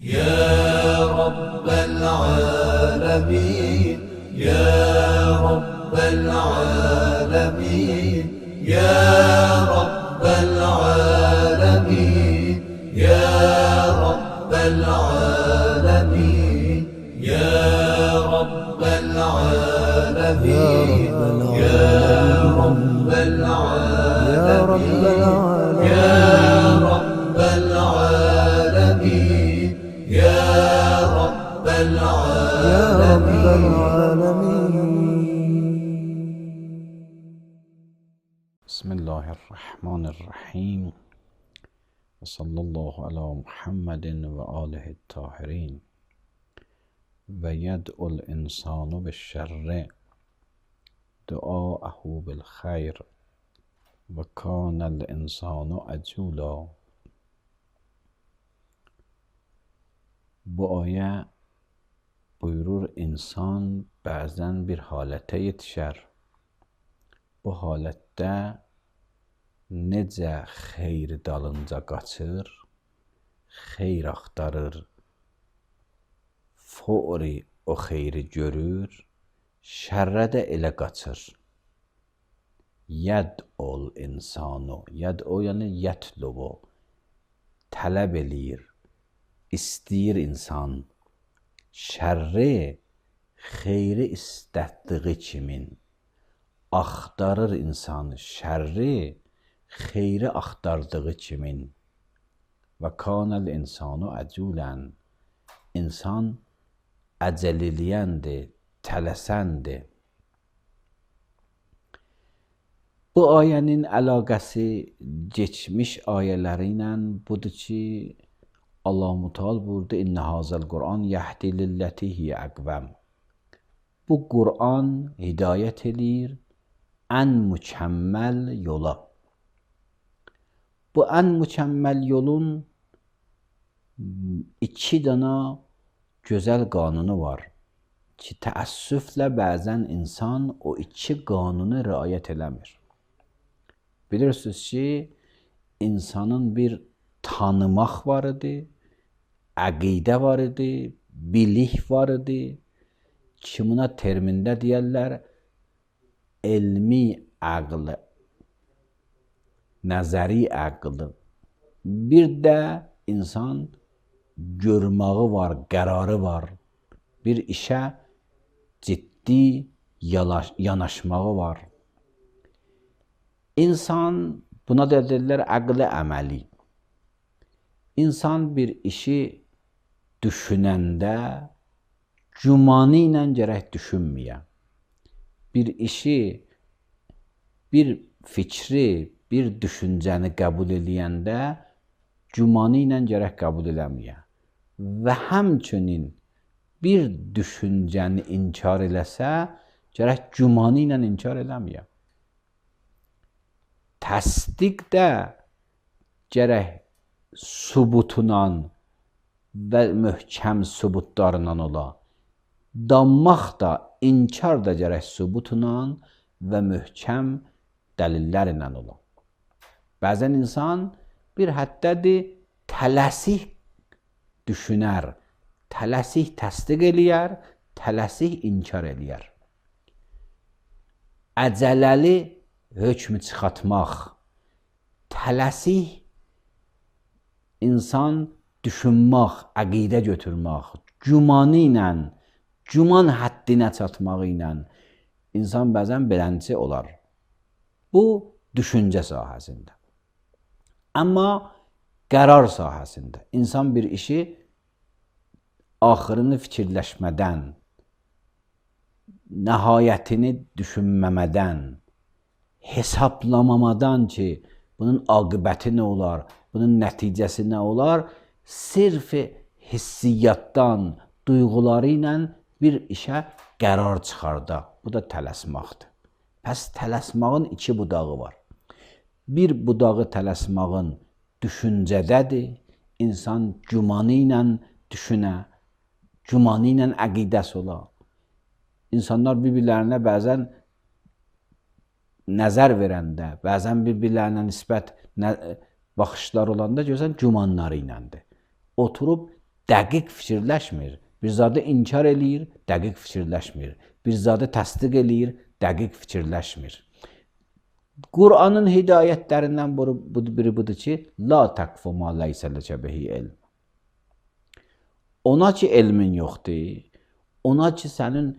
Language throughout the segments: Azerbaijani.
يا رب العالمين يا رب العالمين يا رب العالمين يا رب العالمين يا رب العالمين يا رب العالمين يا رب العالمين يا رب العالمين. بسم الله الرحمن الرحیم و صلی الله علی محمد و آله الطاهرین. و یدعو الانسان بالشر دعاءه بالخیر و کان الانسان عجولا. Bu ayə buyurur, insan bəzən bir halətə yetişər. Bu halətdə necə xeyr dalınca qaçır, xeyr axtarır, fori o xeyri görür, şərrə də elə qaçır. Yəd'ul insanu, yəd'u yəni yətlubu, tələb eləyir, istəyir insan. Şərri, xeyri istətdiyi kimin, axtarır insan şərri, xeyri axtardığı kimin. Və kanəl insanu əculən, insan əcəl eləyəndir, tələsəndir. Bu ayənin əlaqəsi geçmiş ayələri ilə budur ki, Allah-u Teala buyurdu, İnnə hazəl Qur'an yəhdi lilləti hiyə əqvəm. Bu Qur'an hidayət eləyir ən mükəmməl yola. Bu ən mükəmməl yolun iki dana gözəl qanunu var ki, təəssüflə bəzən insan o iki qanunu riayət eləmir. Bilirsiniz ki, insanın bir tanımaq var idi, əqidə var idi, bilik var idi ki, buna termində deyərlər elmi əql, nəzəri əql. Bir də insan görməyi var, qərarı var, bir işə ciddi yanaşmağı var. İnsan, buna da deyirlər əql-i əməli. İnsan bir işi düşünəndə gümanı ilə gərək düşünməyə. Bir işi, bir fikri, bir düşüncəni qəbul eləyəndə gümanı ilə gərək qəbul eləməyə. Və həmçinin bir düşüncəni inkar eləsə, gərək gümanı ilə inkar eləməyə. Təsdiq də gərək subutundan və möhkəm subutlarından ola. Danmaq da, inkar da gərək subutundan və möhkəm dəlillərlə ola. Bəzən insan bir həddədir, tələsik düşünər, tələsik təsdiq eləyər, tələsik inkar eləyər. Əcələli hökmü çıxartmaq, tələsik insan düşünmək, əqidə götürmək, gümanı ilə, güman həddinə çatmağı ilə insan bəzən beləncə olar. Bu, düşüncə sahəsində. Amma qərar sahəsində insan bir işi axırını fikirləşmədən, nəhayətini düşünməmədən, hesablamamadan ki, bunun aqibəti nə olar, bunun nəticəsi nə olar, sırf hissiyyatdan, duyğuları ilə bir işə qərar çıxarda. Bu da tələsmaqdır. Pəs tələsmağın iki budağı var. Bir budağı tələsmağın düşüncədədir. İnsan gümanı ilə düşünə, gümanı ilə əqidəsi ola. İnsanlar bir-birlərinə bəzən nəzər verəndə, bəzən bir-birlərinə nisbət baxışlar olanda görsən gümanları iləndir. Oturub dəqiq fikirləşmir. Bir zadı inkar eləyir, dəqiq fikirləşmir. Bir zadı təsdiq eləyir, dəqiq fikirləşmir. Qur'anın hidayətlərindən biri budur ki, la təqfu ma leysə ləkə bihi ilm. Ona ki elmin yoxdur, ona ki sənin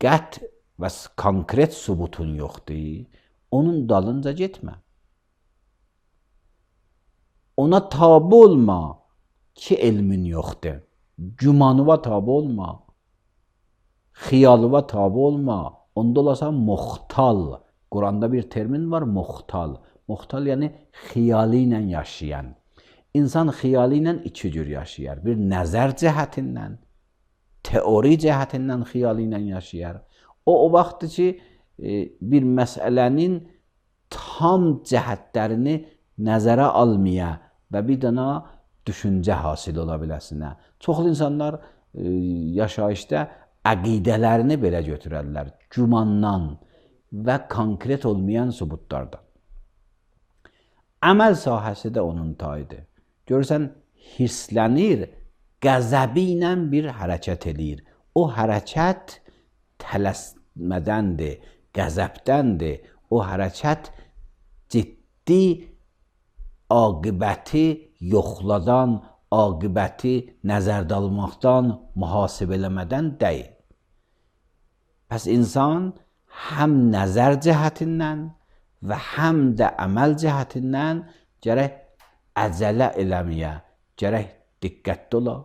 qət və konkret sübutun yoxdur, onun dalınca getmə. Ona tabi olma ki elmin yoxdur. Gümanıva tabi olma. Xiyalıva tabi olma. Onda olasan muxtal. Quranda bir termin var, muxtal. Muxtal yəni xiyalı ilə yaşayan. İnsan xiyalı ilə iki cür yaşayar. Bir nəzər cəhətindən, teori cəhətindən xiyalı ilə yaşayar. O vaxtdır ki, bir məsələnin tam cəhətlərini nəzərə almaya və bir dana düşüncə hasil ola biləsinə. Çoxlu insanlar yaşayışda əqidələrini belə götürərlər. Gümandan və konkret olmayan sübutlardan. Əməl sahəsi də onun tayıdır. Görürsən, hirslənir, qəzəbi ilə bir hərəkət eləyir. O hərəkət tələsmədəndir, qəzəbdəndir. O hərəkət ciddi aqibəti yoxladan, aqibəti nəzərdə almaqdan, mühasibələmədən deyil. Pəs insan həm nəzər cəhətindən və həm də əməl cəhətindən gərək əcələ eləməyə, gərək diqqətli ola.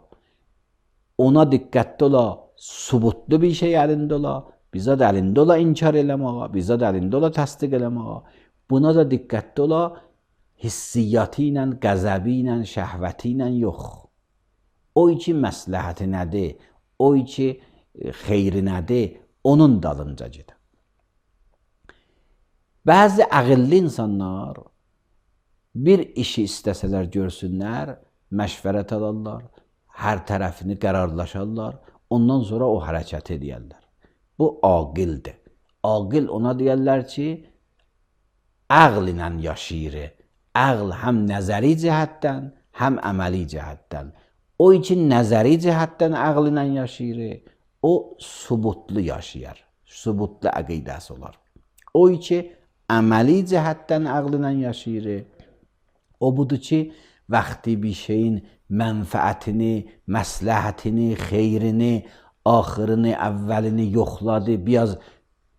Ona diqqətli ola, subutlu bir şey əlində ola, bizə də əlində ola inkar eləməyə, bizə də əlində ola təsdiq eləməyə. Buna da diqqətli ola, hissiyyatı ilə, qəzəbi ilə, şəhvəti ilə yox. O ki məsləhəti nədir, o ki xeyri nədir, onun dalınca gedir. Bəzi əqilli insanlar bir işi istəsələr görsünlər, məşvərət alarlar, hər tərəfini qərarlaşarlar, ondan sonra o hərəkət edərlər. Bu aqildir. Aqil ona deyərlər ki, əql ilə yaşayır. Əql həm nəzəri cəhətdən, həm əməli cəhətdən. O ki nəzəri cəhətdən əql ilə yaşayır, o subutlu yaşayar, subutlu əqidəsi olar. O ki əməli cəhətdən əql ilə yaşayır, o budur ki, vaxtı bir şeyin mənfəətini, məsləhətini, xeyrini, axırını, əvvəlini yoxladı, biraz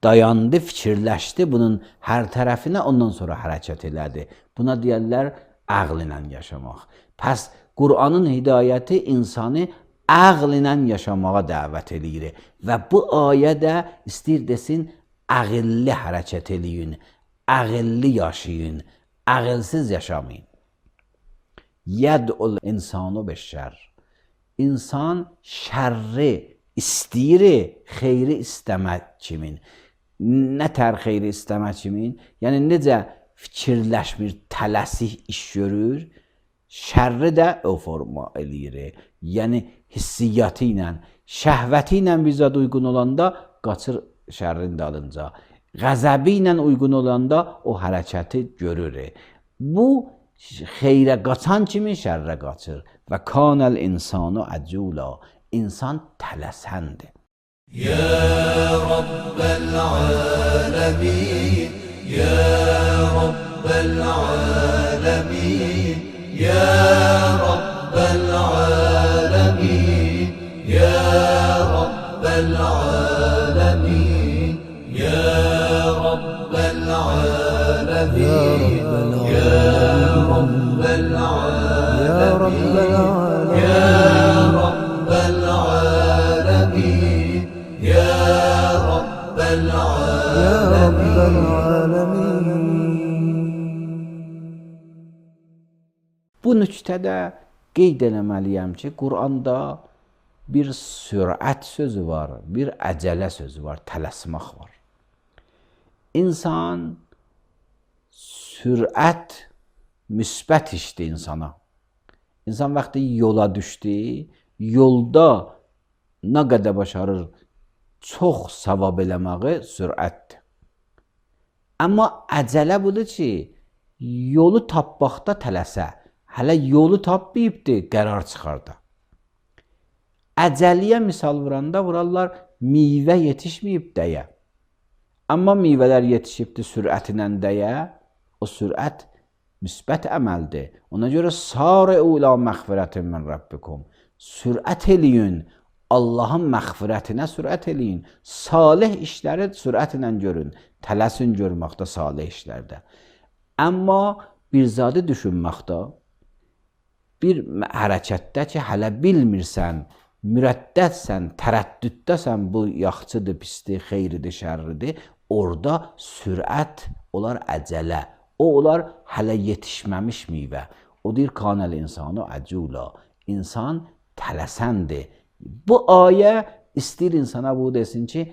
dayandı, fikirləşdi bunun hər tərəfinə, ondan sonra hərəkət elədi. Buna deyərlər əql ilə yaşamaq. Pəs Qur'anın hidayəti insanı əql ilə yaşamağa dəvət edir. Və bu ayə də istəyir desin, əqilli hərəkət eləyin, əqilli yaşayın, əqilsiz yaşamayın. Yəd'ul insanu beşşər. İnsan şərri istəyir, xeyri istəmək kimin. Nə tər xeyri istəmək kimin? Yəni necə fikirləşmir, tələsik iş görür, şərri də o forma eləyir. Yəni hissiyyatı ilə, şəhvəti ilə bizə uyğun olanda qaçır şərrin dalınca. Qəzəbi ilə uyğun olanda o hərəkəti görür. Bu xeyrə qaçan kimi şərrə qaçır. Və kanəl insanu əcula. İnsan tələsəndir. Ya Rabbel alemin, Ya Rabbel alemin, Ya Rabbel alemin, Ya Rabbel alemin, Ya Rabbel alemin, Ya Rabbel alemin, Ya Rabbel alemin, Ya Rabbel alemin. Bu nüqtədə qeyd eləməliyəm ki, Qur'anda bir sürət sözü var, bir əcələ sözü var, tələsmək var. İnsan sürət müsbət işdir insana. İnsan vaxtı yola düşdü, yolda nə qədər başarır çox savab eləməyi sürətdir. Amma əcələ budur ki, yolu tapmaqda tələsə, hələ yolu tapmayıbdır, qərar çıxarda. Əcəliyə misal vurarlar meyvə yetişməyib deyə. Amma meyvələr yetişibdi sürətlə deyə, o sürət müsbət əməldir. Ona görə sari'u ilə məğfirətin min rabbikum. Sürət eləyin, Allahın məğfirətinə sürət eləyin. Salih işləri sürətlə görün. Tələsin görməkdə salih işlərdə. Amma bir zadı düşünməkdə, bir hərəkətdə ki, hələ bilmirsən, mürəddədsən, tərəddüddəsən, bu yaxçıdır, pisdir, xeyridir, şərridir, orada sürət olar əcələ. O olar hələ yetişməmiş meyvə. O deyir, kanəl insanı əcula. İnsan tələsəndir. Bu ayə istəyir insana bu desin ki,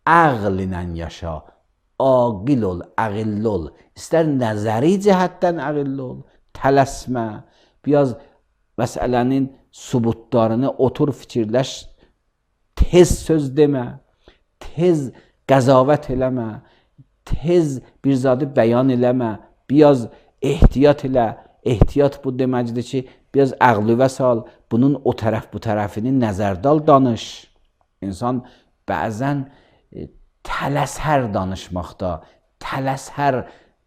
əql ilə yaşa, aqil ol, əqilli ol. İstər nəzəri cəhətdən əqilli ol, tələsmə. Biraz məsələnin subutlarını otur fikirləş, tez söz demə, tez qəzavət eləmə, tez bir zadı bəyan eləmə, biraz ehtiyat elə. Ehtiyat bu deməkdir ki, biraz əqlüvə sal, bunun o tərəf bu tərəfini nəzərdə al, danış. İnsan bəzən tələsər danışmaqda, tələsər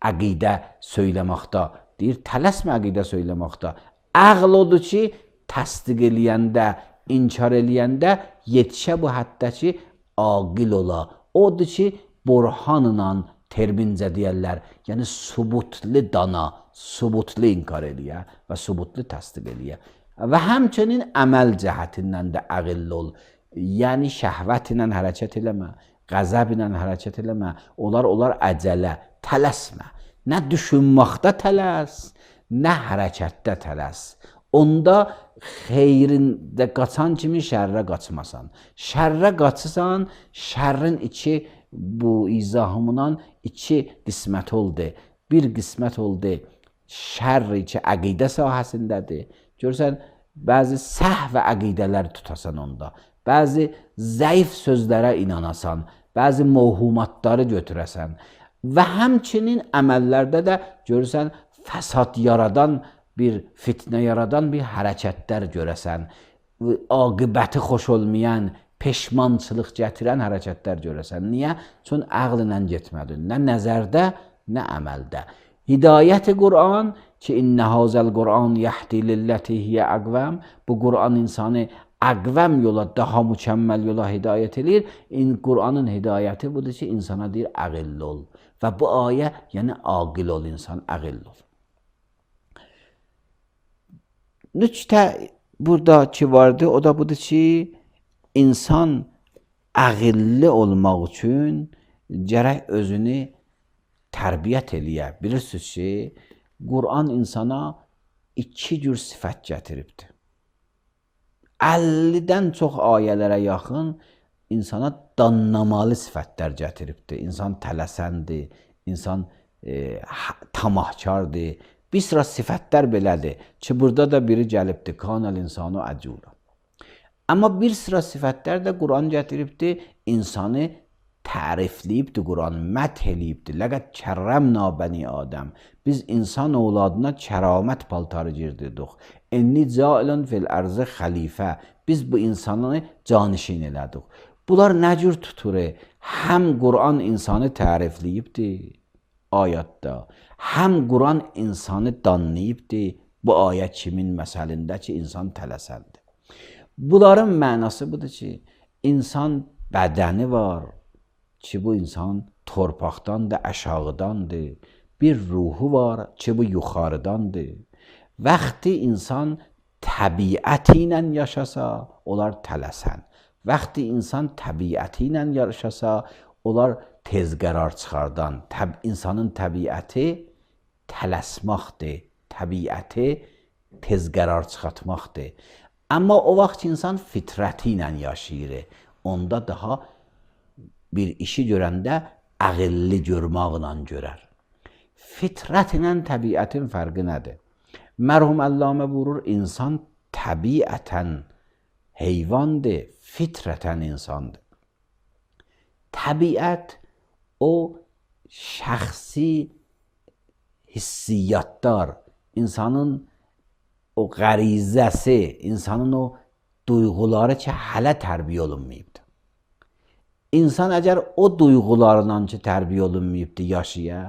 əqidə söyləməkdə. Deyir, tələsmə əqidə söyləməkdə. Əql odur ki, təsdiq eləyəndə, inkar eləyəndə yetişə bu həddə ki, aqil ola. Odur ki, burhanla termincə deyərlər, yəni subutlu dana, subutlu inkar eləyə və subutlu təsdiq eləyə. Və həmçinin əməl cəhətindən də əqilli ol. Yəni şəhvət ilə hərəkət eləmə, qəzəb ilə hərəkət eləmə, onlar əcələ, tələsmə. Nə düşünməkdə tələs, nə hərəkətdə tələs. Onda xeyrində qaçan kimi şərrə qaçmasan. Şərrə qaçırsan, şərrin iki, bu izahımından iki qismət oldu. Bir qismət oldu, şərri ki, əqidə sahəsindədir. Görürsən, bəzi səhv və əqidələr tutasan onda. Bəzi zəif sözlərə inanasan, bəzi mövhumatları götürəsən. Və həmçinin əməllərdə də görürsən, fəsad yaradan, bir fitnə yaradan bir hərəkətlər görəsən. Aqibəti xoş olmayan, peşmançılıq gətirən hərəkətlər görəsən. Niyə? Çün əqllə getmədin. Nə nəzərdə, nə əməldə. Hidayət-i Qur'an ki, innə hazəl Qur'an yəhdi lilləti hiyə əqvəm. Bu Qur'an insanı əqvəm yola, daha mükəmməl yola hidayət edir. Qur'anın hidayəti budur ki, insana deyir, əqilli ol. Və bu ayə, yəni aqil ol insan, əqilli ol. Nüktə burada ki vardı, o da budur ki, insan əqilli olmaq üçün gərək özünü tərbiyyət eləyə. Bilirsiniz ki, Qur'an insana iki cür sifət gətiribdir. 50-dən çox ayələrə yaxın insana danlamalı sifətlər gətiribdir. İnsan tələsəndir, insan tamahkardır. Bir sıra sifətlər belədir ki, burada da biri gəlibdir, kanəl insanı əcula. Amma bir sıra sifətlər də Qur'an gətiribdir, insanı tərifləyibdir, Qur'an məth eləyibdir. Ləqəd kərrəmna bəni Adəm. Biz insan oğladına kəramət paltarı girdirdik. Enni cailun fil ərzı xəlifə. Biz bu insanı canişin elədik. Bunlar nə cür tutur? Həm Qur'an insanı tərifləyibdir ayətdə, həm Qur'an insanı danlayıbdır. Bu ayət kimin məsəlində ki, insan tələsəndir. Bunların mənası budur ki, insan bədəni var ki, bu insan torpaqdandır, aşağıdandır. Bir ruhu var ki, bu yuxarıdandır. Vaxtı insan təbiəti ilə yaşasa, onlar tələsən. Vaxtı insan təbiəti ilə yaşasa, onlar tez qərar çıxardan. İnsanın təbiəti tələsməkdir, təbiəti tez qərar çıxartmaqdır. Amma o vaxt insan fitrəti ilə yaşayır. Onda daha bir işi görəndə əqilli görməklə görər. Fitrət ilə təbiətin fərqi nədir? Mərhum Əllamə buyurur, insan təbiətən heyvandır, fitrətən insandır. Təbiət o şəxsi hissiyatlar, insanın o qərizəsi, insanın o duyğuları ki hələ tərbiyə olunmayıbdır. İnsan əgər o duyğularla ki tərbiyə olunmayıbdır yaşaya,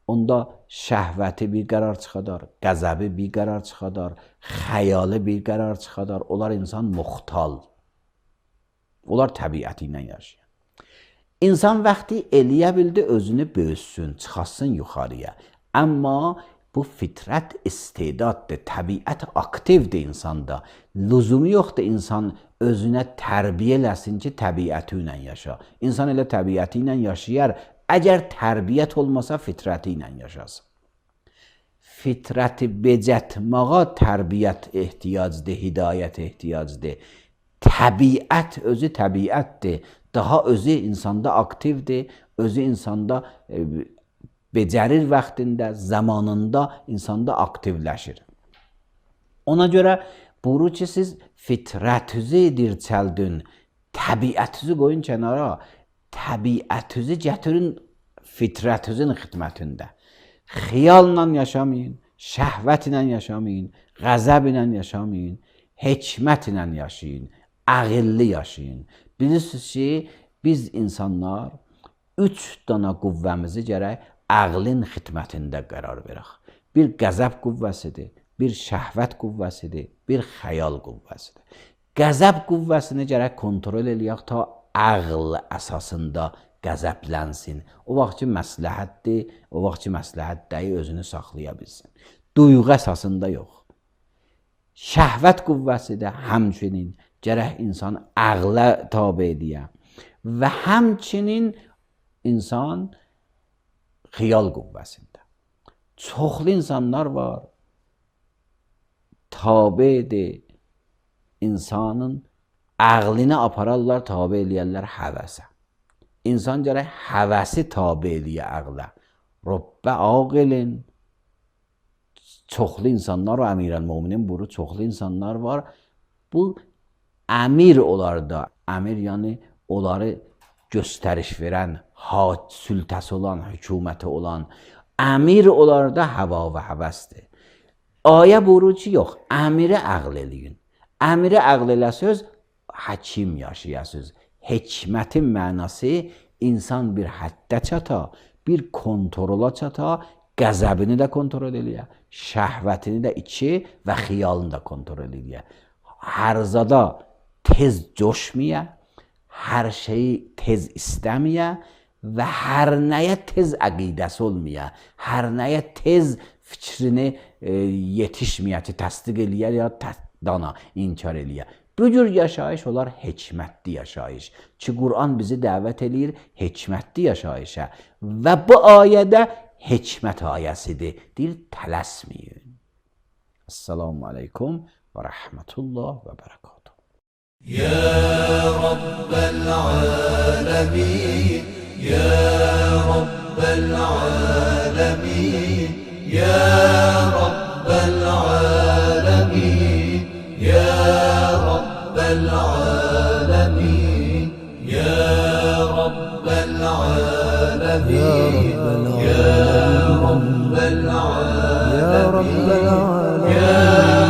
onda şəhvəti bir qərar çıxadar, qəzəbi bir qərar çıxadar, xəyalı bir qərar çıxadar. Onlar insan muxtal. Onlar təbiəti ilə yaşayır. İnsan vaxtı eləyə bildi özünü böyüsün, çıxasın yuxarıya. Amma bu fitrət istedaddır, təbiət aktivdir insanda. Lüzumu yoxdur insan özünə tərbiyə eləsin ki, təbiəti ilə yaşa. İnsan elə təbiəti ilə yaşayar, əgər tərbiyyət olmasa fitrəti ilə yaşasın. Fitrəti becətmağa tərbiyyət ehtiyacdır, hidayət ehtiyacdır. Təbiət özü təbiətdir. Daha özü insanda aktivdir, özü insanda becərir vaxtında, zamanında insanda aktivləşir. Ona görə buyurur ki, siz fitrətinizi dirçəldin, təbiətinizi qoyun kənara, təbiətinizi gətirin fitrətinizin xidmətində. Xiyalla yaşamayın, şəhvətlə yaşamayın, qəzəblə yaşamayın, hikmətlə yaşayın, ağıllı yaşayın. Bilirsiniz ki, biz insanlar 3 dana qüvvəmizi gərək ağlın xidmətində qərar verək. Bir qəzəb qüvvəsidir, bir şəhvət qüvvəsidir, bir xəyal qüvvəsidir. Qəzəb qüvvəsini gərək kontrol eləyək ta ağl əsasında qəzəblənsin. O vaxt ki məsləhətdir, o vaxt ki məsləhət deyil, özünü saxlaya bilsin. Duyğu əsasında yox. Şəhvət qüvvəsi də həmçinin gərək insan ağla tabe ediyə və həmçinin insan xiyal qüvvəsində. Çoxlu insanlar var, tabe edir, insanın ağlını apararlar, tabe eləyərlər həvəsə. İnsan gərək həvəsi tabe eləyə ağla. Rəbbə ağilin. Çoxlu insanlar var, Əmirəl-Möminin buru çoxlu insanlar var. Bu əmir olarda, əmir yəni onları göstəriş verən, sültəsi olan, hökuməti olan, əmir olarda həva və həvəsdir. Ayə buyurur ki, yox, əmiri ağl eləyin. Əmiri ağl eləsəz, həkim yaşayasınız. Hikmətin mənası insan bir həddə çata, bir kontrola çata, qəzəbini də kontrol eləyə, şəhvətini də içi və xiyalını da kontrol eləyə. Hər zada tez coşmaya, hər şeyi tez istəməyə və hər nəyə tez əqidəsi olmaya, hər nəyə tez fikrini yetişməyə ki, təsdiq eləyə ya dana inkar eləyə. Bu cür yaşayış olar hikmətli yaşayış. Ki, Qur'an bizi dəvət eləyir hikmətli yaşayışa. Və bu ayədə hikmət ayəsidir. Deyir, tələsməyin. Esselamu aleykum və rəhmətullah və bərəkatuhu. Ya Rabbel alemin, Ya Rabbel alemin, Ya Rabbel alemin, Ya Rabbel alemin, Ya Rabbel alemin, Ya Rabbel alemin, Ya Rabbel alemin, Ya